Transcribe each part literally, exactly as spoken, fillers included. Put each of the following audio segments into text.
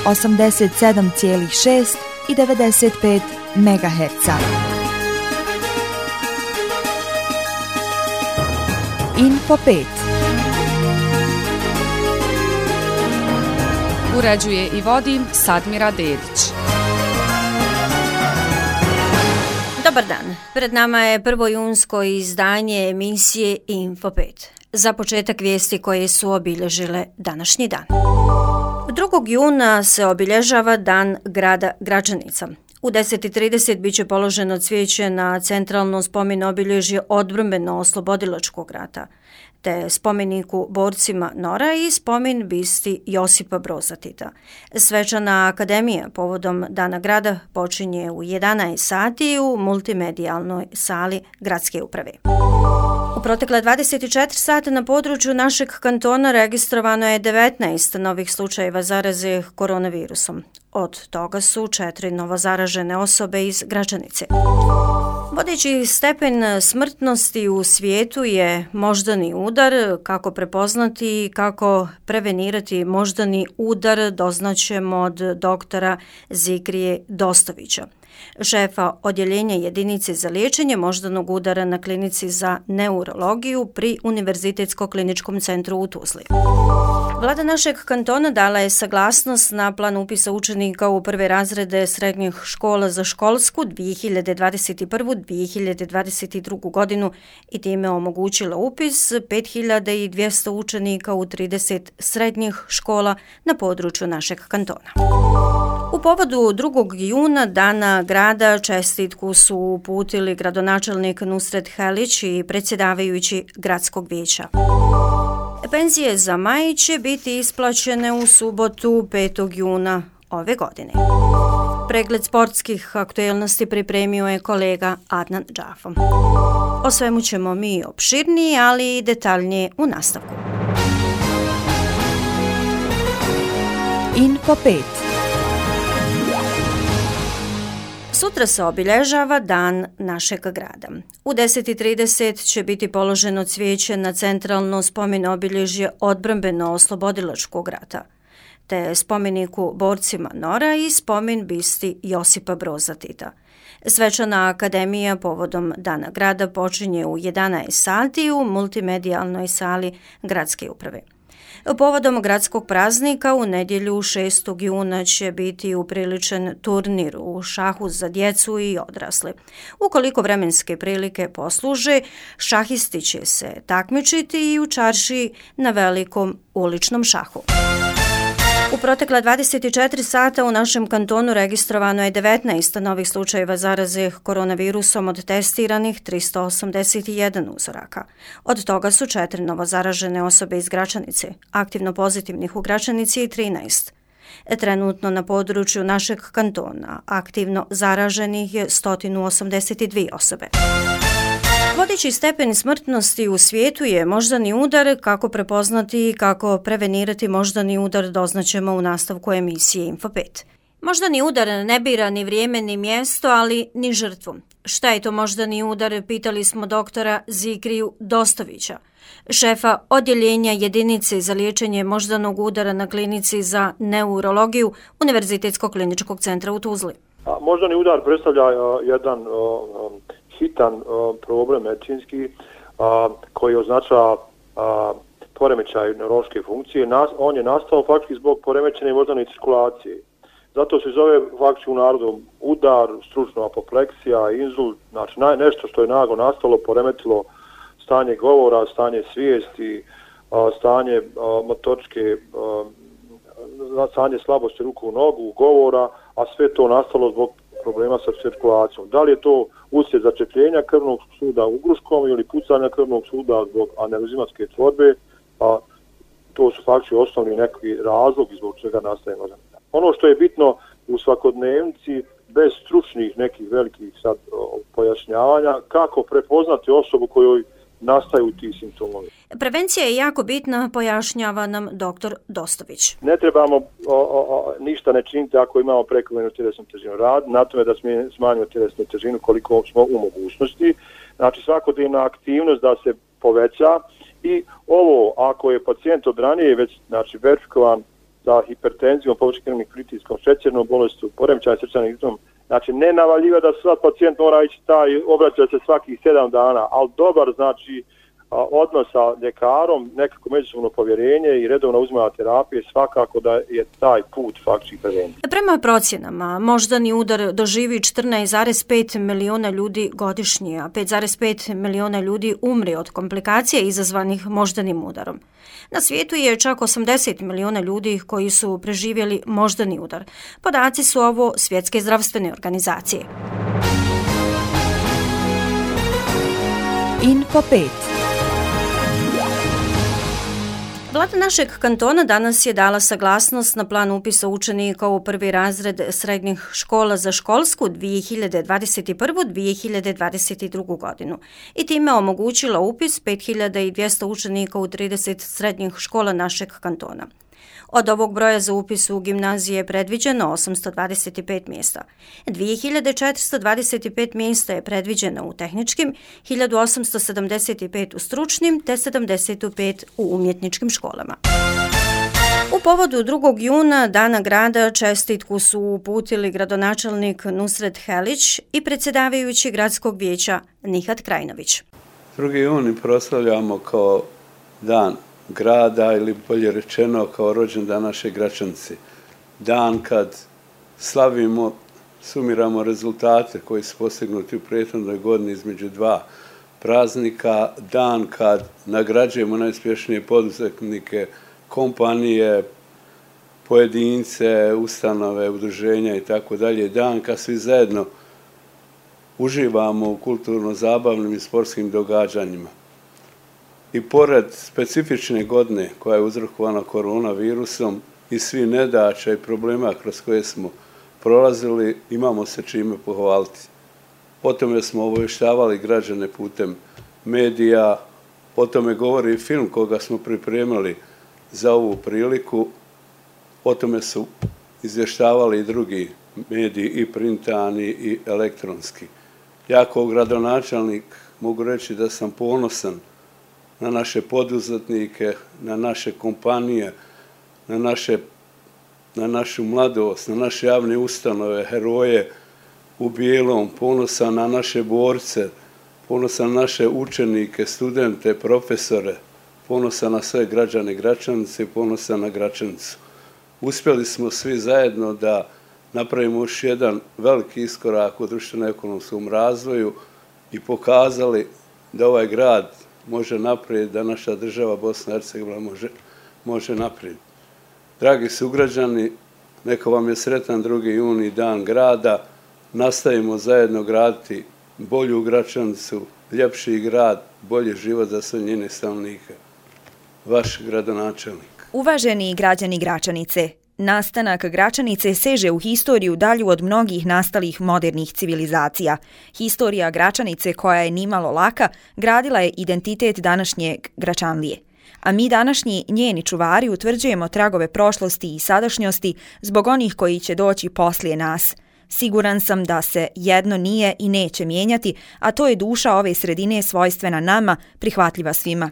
osamdeset sedam zarez šest i devedeset pet megaherca. Info pet. Uređuje i vodi Sadmira Dedić. Dobar dan. Pred nama je prvo junsko izdanje emisije Info pet. Za početak vijesti koje su obilježile današnji dan. drugog juna se obilježava Dan grada Gračanica. U deset i trideset biće položeno cvijeće na centralno spomen obilježje odbrambeno-oslobodilačkog rata, te spomeniku borcima Nora i spomen bisti Josipa Broza Tita. Svečana akademija povodom Dana grada počinje u jedanaest sati u multimedijalnoj sali gradske uprave. U protekle dvadeset četiri sata na području našeg kantona registrovano je devetnaest novih slučajeva zaraze koronavirusom. Od toga su četiri novozaražene osobe iz Gračanice. Vodeći stepen smrtnosti u svijetu je moždani udar. Kako prepoznati i kako prevenirati moždani udar doznaćemo od doktora Zikrije Dostovića, šefa odjeljenja jedinice za liječenje moždanog udara na klinici za neurologiju pri Univerzitetsko kliničkom centru u Tuzli. Vlada našeg kantona dala je saglasnost na plan upisa učenika u prve razrede srednjih škola za školsku dvije hiljade dvadeset prvu dvije hiljade dvadeset drugu godinu i time omogućila upis pet hiljada dvjesto učenika u trideset srednjih škola na području našeg kantona. U povodu drugog juna Dana grada čestitku su uputili gradonačelnik Nusret Helić i predsjedavajući gradskog vijeća. Penzije za maj će biti isplaćene u subotu petog juna ove godine. Pregled sportskih aktuelnosti pripremio je kolega Adnan Džafo. O svemu ćemo mi opširnije, ali i detaljnije u nastavku. Info pet. Sutra se obilježava Dan našeg grada. U deset i trideset će biti položeno cvijeće na centralno spomen obilježje odbrambeno-oslobodilačkog rata, te spomeniku borcima Nora i spomen bisti Josipa Broza Tita. Svečana akademija povodom Dana grada počinje u jedanaest sati u multimedijalnoj sali gradske uprave. Povodom gradskog praznika u nedjelju šestog juna će biti upriličen turnir u šahu za djecu i odrasle. Ukoliko vremenske prilike posluže, šahisti će se takmičiti i u čaršiji na velikom uličnom šahu. U protekla dvadeset četiri sata u našem kantonu registrovano je devetnaest novih slučajeva zaraze koronavirusom od testiranih tristo osamdeset jedan uzoraka. Od toga su četiri novozaražene osobe iz Gračanice, aktivno pozitivnih u Gračanici i trinaest. Trenutno na području našeg kantona aktivno zaraženih je sto osamdeset dvije osobe. Vodeći stepen smrtnosti u svijetu je moždani udar. Kako prepoznati i kako prevenirati moždani udar doznaćemo u nastavku emisije Info pet. Moždani udar ne bira ni vrijeme ni mjesto, ali ni žrtvu. Šta je to moždani udar, pitali smo doktora Zikriju Dostovića, šefa odjeljenja jedinice za liječenje moždanog udara na klinici za neurologiju Univerzitetskog kliničkog centra u Tuzli. A, moždani udar predstavlja a, jedan a, hitan a, problem medicinski a, koji označava a, poremećaj neurološke funkcije. Nas, on je nastao faktički zbog poremećene moždane cirkulacije. Zato se zove faktički u narodu udar, stručna apopleksija, inzult, znači naj, nešto što je naglo nastalo, poremetilo stanje govora, stanje svijesti, a, stanje a, motoričke, a, stanje slabosti ruku, nogu, govora, a sve to nastalo zbog problema sa cirkulacijom. Da li je to uslijed začepljenja krvnog suda ugruškom ili pucanja krvnog suda zbog aneurizmatske tvorbe, a to su faktički osnovni neki razlog zbog čega nastaje moždani udar. Ono što je bitno u svakodnevnici, bez stručnih nekih velikih sad o, pojašnjavanja, kako prepoznati osobu kojoj nastaju ti simptomovi. Prevencija je jako bitna, pojašnjava nam doktor Dostović. Ne trebamo o, o, ništa ne činiti ako imamo prekomjernu tjelesnu težinu. Rad na tome da smanjimo tjelesnu težinu koliko smo u mogućnosti. Znači svakodnevna aktivnost da se poveća i ovo ako je pacijent od ranije već znači verifikovan sa hipertenzijom, povećanim krvnim pritiskom, šećernom bolešću, poremećaj srčanim ritmom. Znači, ne navaljiva da sad pacijent mora ići taj, obraća se svakih sedam dana, ali dobar, znači, odnos sa ljekarom, nekako međusobno povjerenje i redovna uzimanja terapije, svakako da je taj put faktički prevencije. Prema procjenama, moždani udar doživi četrnaest zarez pet miliona ljudi godišnje, a pet zarez pet miliona ljudi umri od komplikacija izazvanih moždanim udarom. Na svijetu je čak osamdeset miliona ljudi koji su preživjeli moždani udar. Podaci su ovo Svjetske zdravstvene organizacije. Info pet. Vlada našeg kantona danas je dala saglasnost na plan upisa učenika u prvi razred srednjih škola za školsku dvije hiljade dvadeset prvu do dvije hiljade dvadeset drugu godinu i time omogućila upis pet hiljada dvjesto učenika u trideset srednjih škola našeg kantona. Od ovog broja za upis u gimnazije je predviđeno osamsto dvadeset pet mjesta. dvije hiljade četiristo dvadeset pet mjesta je predviđeno u tehničkim, hiljadu osamsto sedamdeset pet u stručnim te sedamdeset pet u umjetničkim školama. U povodu drugog juna, Dana grada, čestitku su uputili gradonačelnik Nusret Helić i predsjedavajući gradskog vijeća Nihat Krajnović. drugi juni proslavljamo kao dan grada ili bolje rečeno kao rođendan naše Gračanice. Dan kad slavimo, sumiramo rezultate koji su postignuti u prethodnoj godini između dva praznika, dan kad nagrađujemo najuspješnije poduzetnike, kompanije, pojedince, ustanove, udruženja i tako dalje, dan kad svi zajedno uživamo u kulturno-zabavnim i sportskim događanjima. I pored specifične godine koja je uzrokovana koronavirusom i svi nedaća i problema kroz koje smo prolazili, imamo se čime pohvaliti. O tome smo obavještavali građane putem medija, o tome govori i film koga smo pripremili za ovu priliku, o tome su izvještavali i drugi mediji, i printani i elektronski. Ja kao gradonačelnik mogu reći da sam ponosan na naše poduzetnike, na naše kompanije, na, naše, na našu mladost, na naše javne ustanove, heroje u bijelom, ponosan na naše borce, ponosan na naše učenike, studente, profesore, ponosan na sve građane Gračanice i ponosan na Gračanicu. Uspjeli smo svi zajedno da napravimo još jedan veliki iskorak u društveno-ekonomskom razvoju i pokazali da ovaj grad može naprijed, da naša država Bosna i Hercegovina može, može naprijed. Dragi sugrađani, neka vam je sretan drugi juni, dan grada. Nastavimo zajedno graditi bolju Gračanicu, ljepši grad, bolji život za sve njene stanovnike. Vaš gradonačelnik. Uvaženi građani Gračanice, nastanak Gračanice seže u historiju dalju od mnogih nastalih modernih civilizacija. Historija Gračanice, koja je nimalo laka, gradila je identitet današnjeg Gračanlije. A mi današnji njeni čuvari utvrđujemo tragove prošlosti i sadašnjosti zbog onih koji će doći poslije nas. Siguran sam da se jedno nije i neće mijenjati, a to je duša ove sredine svojstvena nama, prihvatljiva svima.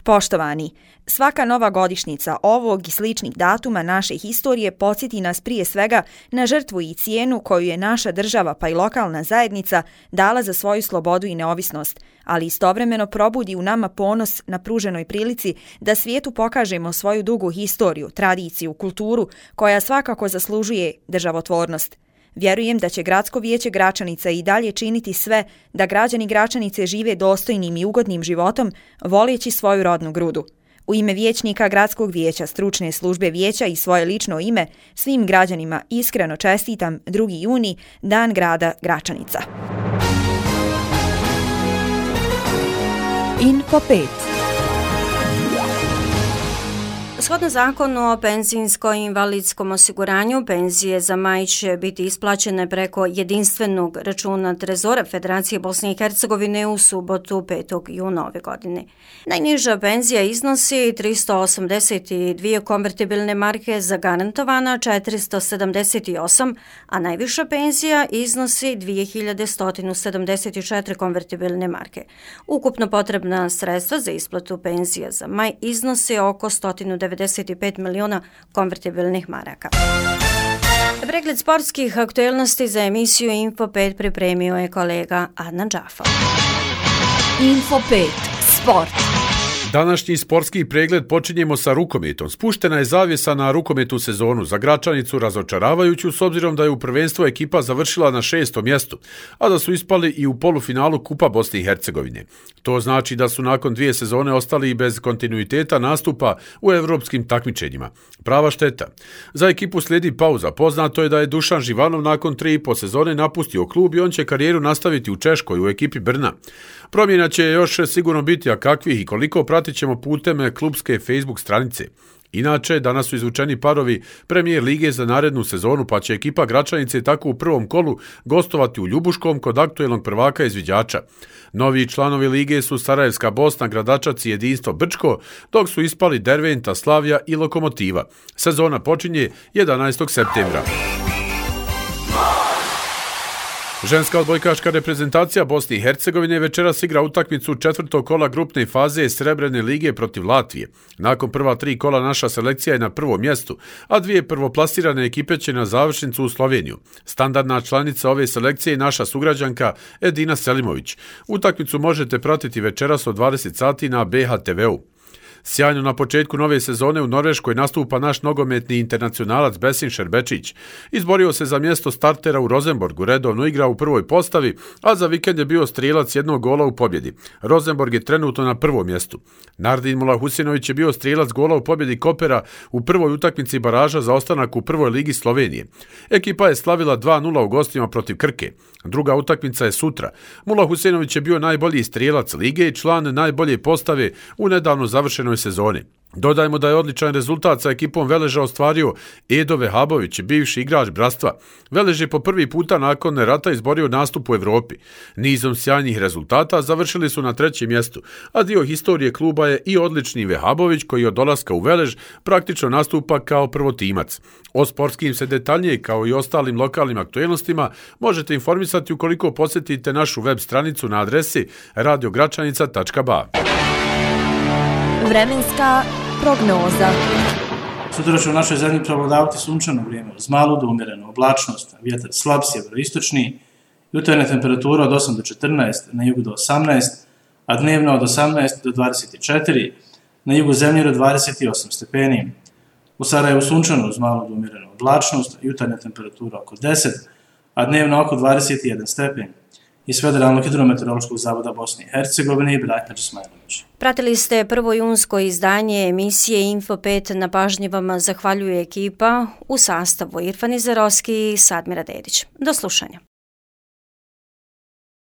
Poštovani, svaka nova godišnjica ovog i sličnih datuma naše historije podsjeti nas prije svega na žrtvu i cijenu koju je naša država pa i lokalna zajednica dala za svoju slobodu i neovisnost, ali istovremeno probudi u nama ponos na pruženoj prilici da svijetu pokažemo svoju dugu historiju, tradiciju, kulturu koja svakako zaslužuje državotvornost. Vjerujem da će Gradsko vijeće Gračanica i dalje činiti sve da građani Gračanice žive dostojnim i ugodnim životom, voleći svoju rodnu grudu. U ime vijećnika Gradskog vijeća, stručne službe vijeća i svoje lično ime, svim građanima iskreno čestitam drugi juni, Dan grada Gračanica. Info pet. Shodno zakonu o penzijsko-invalidskom osiguranju, penzije za maj će biti isplaćene preko jedinstvenog računa Trezora Federacije Bosne i Hercegovine u subotu petog juna ove godine. Najniža penzija iznosi tristo osamdeset dvije konvertibilne marke zagarantovana četiristo sedamdeset osam, a najviša penzija iznosi dvije hiljade sto sedamdeset četiri konvertibilne marke. Ukupno potrebna sredstva za isplatu penzija za maj iznose oko sto devedeset pedeset pet miliona konvertibilnih maraka. Pregled sportskih aktuelnosti za emisiju Info pet pripremio je kolega Adnan Džafar. Info pet. Sport. Današnji sportski pregled počinjemo sa rukometom. Spuštena je zavjesa na rukometnu sezonu. Za Gračanicu razočaravajuću s obzirom da je u prvenstvu ekipa završila na šestom mjestu, a da su ispali i u polufinalu Kupa Bosne i Hercegovine. To znači da su nakon dvije sezone ostali i bez kontinuiteta nastupa u evropskim takmičenjima. Prava šteta. Za ekipu slijedi pauza. Poznato je da je Dušan Živanov nakon tri i po sezone napustio klub i on će karijeru nastaviti u Češkoj u ekipi Brna. Promjena će još sigurno biti, a kakvih i koliko pratit ćemo putem klubske Facebook stranice. Inače, danas su izvučeni parovi Premijer lige za narednu sezonu, pa će ekipa Gračanice tako u prvom kolu gostovati u Ljubuškom kod aktuelnog prvaka izviđača. Novi članovi lige su Sarajevska Bosna, Gradačac i Jedinstvo Brčko, dok su ispali Derventa, Slavija i Lokomotiva. Sezona počinje jedanaestog septembra. Ženska odbojkaška reprezentacija Bosne i Hercegovine večeras igra utakmicu četvrtog kola grupne faze Srebrene lige protiv Latvije. Nakon prva tri kola naša selekcija je na prvom mjestu, a dvije prvoplasirane ekipe će na završnicu u Sloveniju. Standardna članica ove selekcije je naša sugrađanka Edina Selimović. Utakmicu možete pratiti večeras od dvadeset sati na B H T V-u. Sjajno na početku nove sezone u Norveškoj nastupa naš nogometni internacionalac Besim Šerbečić. Izborio se za mjesto startera u Rosenborgu, redovno igra u prvoj postavi, a za vikend je bio strijelac jednog gola u pobjedi. Rosenborg je trenutno na prvom mjestu. Nardin Mulahusinović je bio strijelac gola u pobjedi Kopera u prvoj utakmici baraža za ostanak u prvoj ligi Slovenije. Ekipa je slavila dva nula u gostima protiv Krke. Druga utakmica je sutra. Mulahusinović je bio najbolji strijelac lige i član najbolje postave u nedavno završenoj sezoni. Dodajmo da je odličan rezultat sa ekipom Veleža ostvario Edo Vehabović, bivši igrač Bratstva. Velež je po prvi puta nakon rata izborio nastup u Evropi. Nizom sjajnih rezultata završili su na trećem mjestu, a dio historije kluba je i odlični Vehabović koji od dolaska u Velež praktično nastupa kao prvotimac. O sportskim se detaljnije kao i ostalim lokalnim aktuelnostima možete informisati ukoliko posjetite našu web stranicu na adresi radio gračanica tačka b a. Vremenska prognoza. Sutra će u našoj zemlji prevladavati sunčano vrijeme, uz malu do umjerenu oblačnost, vjetar slab sjeveroistočni, jutarnja temperatura od osam do četrnaest, na jugu do osamnaest, a dnevno od osamnaest do dvadeset četiri, na jugu zemlje do dvadeset osam stepeni. U Sarajevu sunčano uz malu do umjerenu oblačnost, jutarnja temperatura oko deset, a dnevno oko dvadeset jedan stepen. Iz Federalnog hidrometeorološkog zavoda Bosne i Hercegovine i Brajna Česmajlović. Pratili ste prvo junsko izdanje emisije Info pet. Na pažnji vam zahvaljuje ekipa u sastavu Irfan Izarovski i Sadmira Dedić. Do slušanja.